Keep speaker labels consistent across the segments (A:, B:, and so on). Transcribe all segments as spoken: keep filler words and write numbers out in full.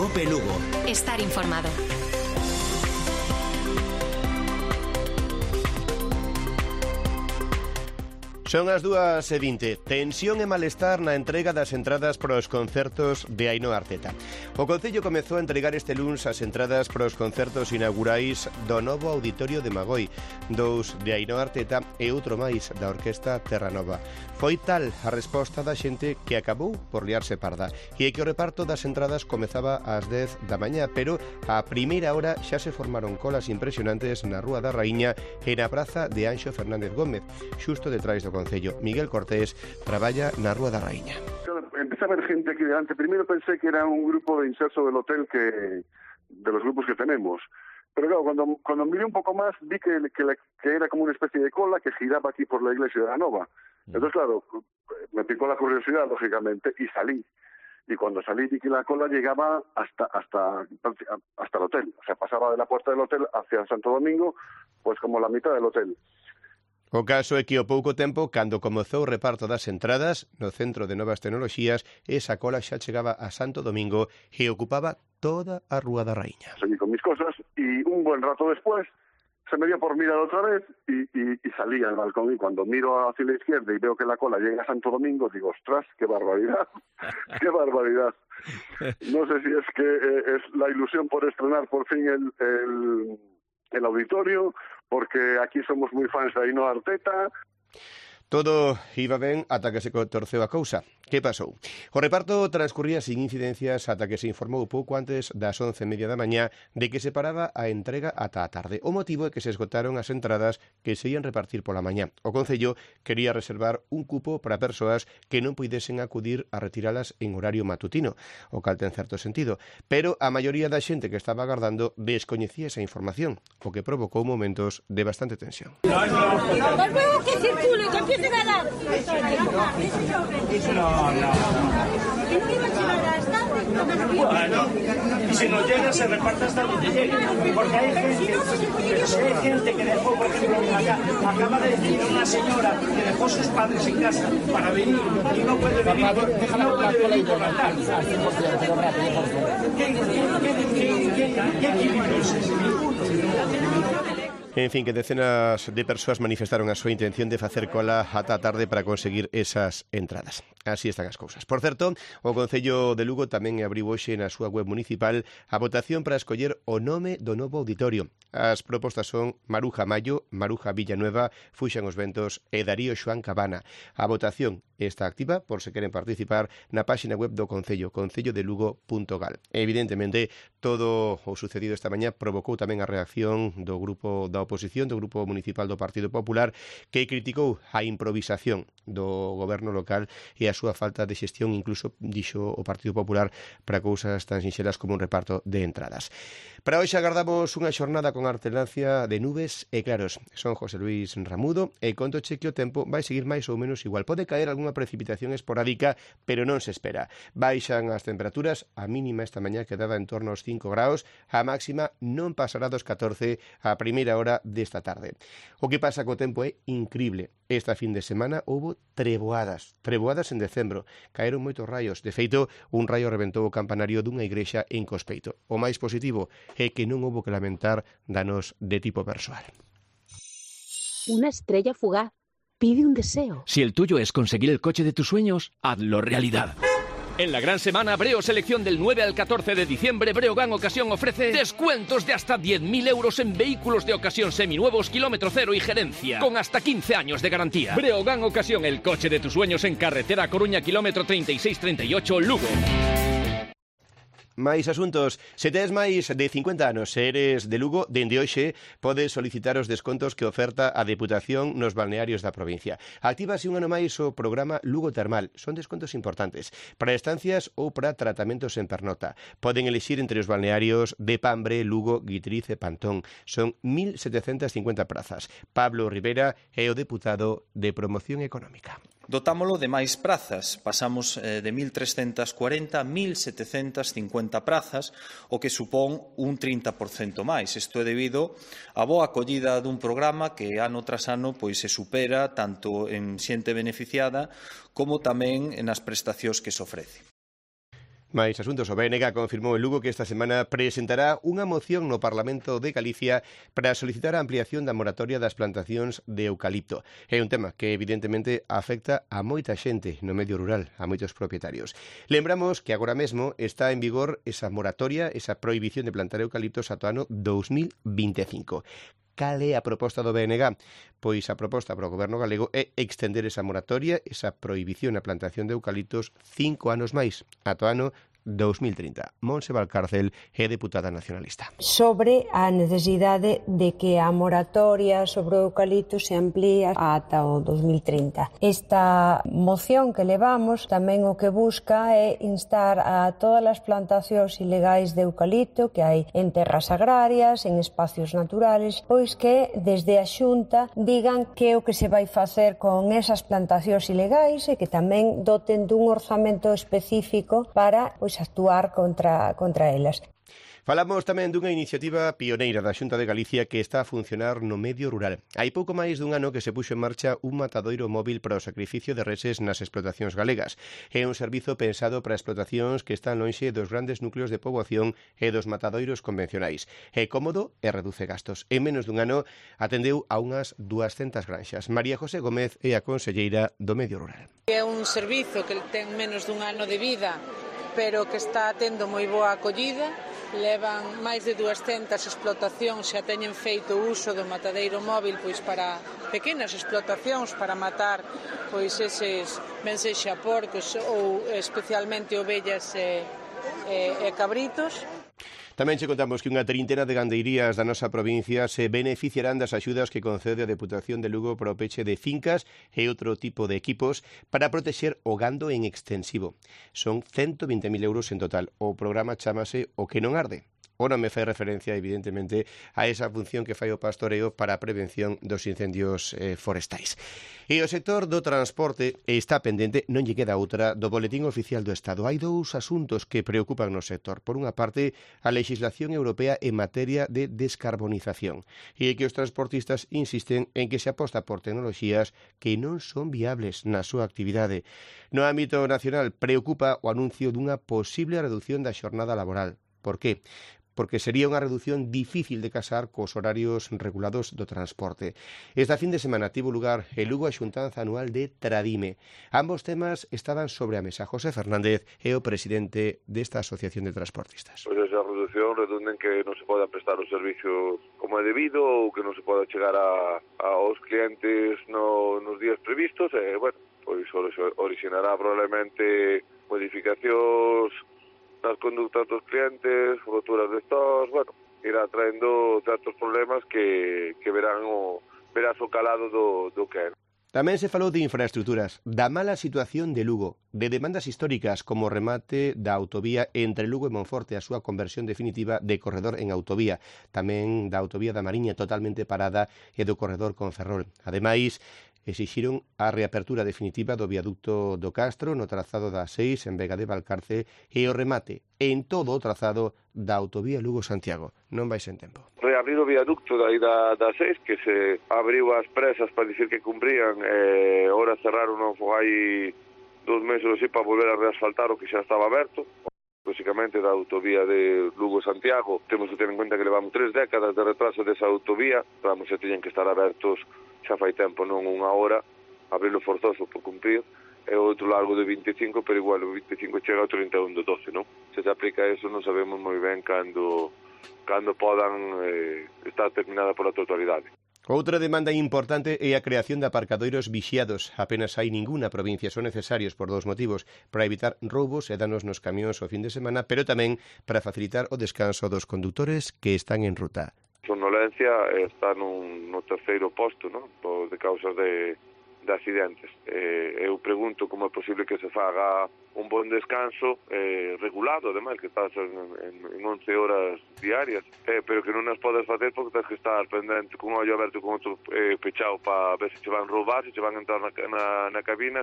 A: COPE Lugo.
B: Estar informado.
C: Son as dúas e vinte. Tensión e malestar na entrega das entradas para os concertos de Ainhoa Arteta. O Concello comezou a entregar este luns as entradas para os concertos inaugurais do novo Auditorio de Magoi, dous de Ainhoa Arteta e outro máis da Orquesta Terranova. Foi tal a resposta da xente que acabou por liarse parda e que o reparto das entradas comezaba ás dez da mañá, pero a primeira hora xa se formaron colas impresionantes na Rúa da Raíña e na Praza de Anxo Fernández Gómez, xusto detrás do Concello. Miguel Cortés traballa na Rúa da Raíña.
D: Empecé a ver gente aquí delante. Primero pensé que era un grupo de inserso del hotel que de los grupos que tenemos. Pero claro, cuando, cuando miré un poco más, vi que, que, la, que era como una especie de cola que giraba aquí por la iglesia de la Nova. Entonces, claro, me picó la curiosidad, lógicamente, y salí. Y cuando salí vi que la cola llegaba hasta hasta hasta el hotel. O sea, pasaba de la puerta del hotel hacia Santo Domingo, pues como la mitad del hotel.
C: O caso é que ao pouco tempo, cando comezou o reparto das entradas no Centro de Novas Tecnoloxías, esa cola xa chegaba a Santo Domingo e ocupaba toda a Rúa da Raíña.
D: Seguí con mis cosas y un buen rato después se me dio por mirar otra vez y, y, y salí al balcón, y cuando miro hacia la izquierda y veo que la cola llega a Santo Domingo, digo, ostras, qué barbaridad, qué barbaridad. No sé si es que eh, es la ilusión por estrenar por fin el... el el auditorio, porque aquí somos moi fans de Ainhoa Arteta.
C: Todo iba ben ata que se torceu a cousa. Que pasou? O reparto transcurría sin incidencias ata que se informou pouco antes das once e media da mañá de que se paraba a entrega ata a tarde. O motivo é que se esgotaron as entradas que se ian repartir pola mañá. O Concello quería reservar un cupo para persoas que non puidesen acudir a retiralas en horario matutino, o cal ten certo sentido. Pero a maioría da xente que estaba agardando descoñecía esa información, o que provocou momentos de bastante tensión.
E: Volvemos que circule, que empiecen a dar.
F: No, no, no. Bueno, y si no llega se reparte hasta donde llegue, porque hay gente, hay gente que dejó, por ejemplo, acá, acaba de decir una señora que dejó sus padres en casa para venir y no puede venir, no puede venir por la tarde. ¿Qué, qué, qué, qué, qué, qué equilibrio es ese?
C: En fin, que decenas de persoas manifestaron a súa intención de facer cola ata a tarde para conseguir esas entradas. Así están as cousas. Por certo, o Concello de Lugo tamén abriu hoxe na súa web municipal a votación para escoller o nome do novo auditorio. As propostas son Maruja Mayo, Maruja Villanueva, Fuxan os Ventos e Darío Xoán Cabana. A votación está activa por se queren participar na páxina web do Concello, concello de lugo punto gal. Evidentemente, todo o sucedido esta mañá provocou tamén a reacción do grupo da oposición, do Grupo Municipal do Partido Popular, que criticou a improvisación do goberno local e a súa falta de xestión, incluso dixo o Partido Popular, para cousas tan sinxelas como un reparto de entradas. Para hoxe agardamos unha xornada con alterancia de nubes e claros. Son José Luis Ramudo e contoche que o tempo vai seguir máis ou menos igual. Pode caer algunha precipitación esporádica, pero non se espera. Baixan as temperaturas, a mínima esta mañá quedaba en torno aos cinco graus, a máxima non pasará dos catorce a primeira hora desta tarde. O que pasa co tempo é incrible. Esta fin de semana houbo treboadas, treboadas en decembro. Caeron moitos raios. De feito, un raio reventou o campanario dunha igrexa en Cospeito. O máis positivo é que non houbo que lamentar danos de tipo persoal.
G: Una estrella fugaz pide un deseo.
H: Si el tuyo es conseguir el coche de tus sueños, hazlo realidad. En la gran semana Breo Selección del nueve al catorce de diciembre, Breogán Ocasión ofrece descuentos de hasta diez mil euros en vehículos de ocasión seminuevos, kilómetro cero y gerencia, con hasta quince años de garantía. Breogán Ocasión, el coche de tus sueños en carretera Coruña, kilómetro treinta y seis treinta y ocho, Lugo.
C: Máis asuntos. Se tes máis de cincuenta anos e eres de Lugo, dende hoxe podes solicitar os descontos que oferta a Deputación nos balnearios da provincia. Actívase un ano máis o programa Lugo Termal. Son descontos importantes para estancias ou para tratamentos en pernota. Poden elixir entre os balnearios de Pambre, Lugo, Guitriz e Pantón. Son mil setecentas cincuenta prazas. Pablo Rivera é o deputado de Promoción Económica.
I: Dotámolo de máis prazas, pasamos eh, de mil trescentas cuarenta a mil setecentas cincuenta prazas, o que supón un trinta por cento máis. Isto é debido á boa acollida dun programa que ano tras ano pois se supera tanto en xente beneficiada como tamén nas prestacións que se ofrece.
C: Mais asuntos, o B N G confirmou en Lugo que esta semana presentará unha moción no Parlamento de Galicia para solicitar a ampliación da moratoria das plantacións de eucalipto. É un tema que evidentemente afecta a moita xente no medio rural, a moitos propietarios. Lembramos que agora mesmo está en vigor esa moratoria, esa prohibición de plantar eucaliptos ata o ano dos mil veinticinco. Cal é a proposta do B N G? Pois a proposta para o Goberno galego é extender esa moratoria, esa prohibición na plantación de eucaliptos cinco anos máis, ata o ano dos mil trinta. Montse Valcárcel é deputada nacionalista.
A: Sobre a necesidade de que a moratoria sobre o eucalipto se amplíe ata o dos mil trinta. Esta moción que levamos tamén o que busca é instar a todas as plantacións ilegais de eucalipto que hai en terras agrarias, en espacios naturales, pois que desde a Xunta digan que é o que se vai facer con esas plantacións ilegais e que tamén doten dun orzamento específico para pois actuar contra, contra elas.
C: Falamos tamén dunha iniciativa pioneira da Xunta de Galicia que está a funcionar no medio rural. Hai pouco máis dun ano que se puxo en marcha un matadoiro móvil para o sacrificio de reses nas explotacións galegas. É un servizo pensado para explotacións que están lonxe dos grandes núcleos de poboación e dos matadoiros convencionais. É cómodo e reduce gastos. En menos dun ano atendeu a unhas duascentas granxas. María José Gómez é a conselleira do medio rural.
B: É un servizo que ten menos dun ano de vida, pero que está tendo moi boa acollida. Levan máis de duascentas explotacións xa teñen feito uso do matadeiro móvil pois para pequenas explotacións para matar pois eses ben sexa porcos ou especialmente ovellas e, e, e cabritos.
C: Tamén che contamos que unha trintena de gandeirías da nosa provincia se beneficiarán das axudas que concede a Deputación de Lugo para o peche de fincas e outro tipo de equipos para protexer o gando en extensivo. Son ciento vinte mil euros en total. O programa chámase O que non arde. O nome fai referencia, evidentemente, a esa función que fai o pastoreo para a prevención dos incendios eh, forestais. E o sector do transporte está pendente, non lle queda outra, do Boletín Oficial do Estado. Hai dous asuntos que preocupan no sector. Por unha parte, a legislación europea en materia de descarbonización. E que os transportistas insisten en que se aposta por tecnoloxías que non son viables na súa actividade. No ámbito nacional, preocupa o anuncio dunha posible reducción da xornada laboral. Por que? Porque sería unha reducción difícil de casar cos horarios regulados do transporte. Esta fin de semana tivo lugar en Lugo a xuntanza anual de Tradime. Ambos temas estaban sobre a mesa. José Fernández é o presidente desta Asociación de Transportistas.
J: Pois esa reducción redunda en que non se poda prestar o servicio como é debido ou que non se poda chegar a, aos clientes no, nos días previstos e, bueno, pois originará probablemente modificacións nas conductas dos clientes, roturas de stocks, bueno, irá traendo certos problemas que, que verán o, verás o calado do, do que é.
C: Tamén se falou de infraestructuras, da mala situación de Lugo, de demandas históricas como o remate da autovía entre Lugo e Monforte, a súa conversión definitiva de corredor en autovía, tamén da autovía da Mariña totalmente parada e do corredor con Ferrol. Ademais, exixiron a reapertura definitiva do viaducto do Castro no trazado da seis en Vega de Valcarce e o remate en todo o trazado da autovía Lugo-Santiago. Non vai sen tempo.
J: Reabrir o viaducto dai da, da seis, que se abriu as presas para dicir que cumprían, e eh, ora cerraron non foi dos meses así para volver a reasfaltar o que xa estaba aberto. Básicamente da autovía de Lugo-Santiago temos que ter en cuenta que levamos tres décadas de retraso desa autovía, vamos, se teñen que estar abertos xa fai tempo, non unha hora, abrilo forzoso por cumprir, e outro largo de veinticinco, pero igual o veinticinco chega ao trinta e un do doce, non? Se se aplica eso non sabemos moi ben cando, cando podan eh, estar terminada pola totalidade.
C: Outra demanda importante é a creación de aparcadoiros vixiados. Apenas hai ninguna provincia, son necesarios por dous motivos, para evitar roubos e danos nos camións o fin de semana, pero tamén para facilitar o descanso dos condutores que están en ruta.
J: Somnolencia está nun, no terceiro posto, non? De causas de, de accidentes. Eh, eu pregunto como é posible que se faga un bon descanso eh, regulado, ademais, que estás en, en, en once horas diarias, eh, pero que non as podes facer porque tens que estar pendente con un ollo aberto e con outro eh, pechado para ver se che van roubar, se che van entrar na, na, na cabina.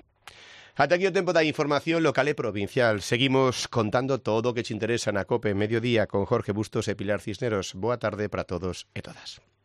C: Ata aquí o tempo da información local e provincial. Seguimos contando todo o que te interesa na COPE Mediodía con Jorge Bustos e Pilar Cisneros. Boa tarde para todos e todas.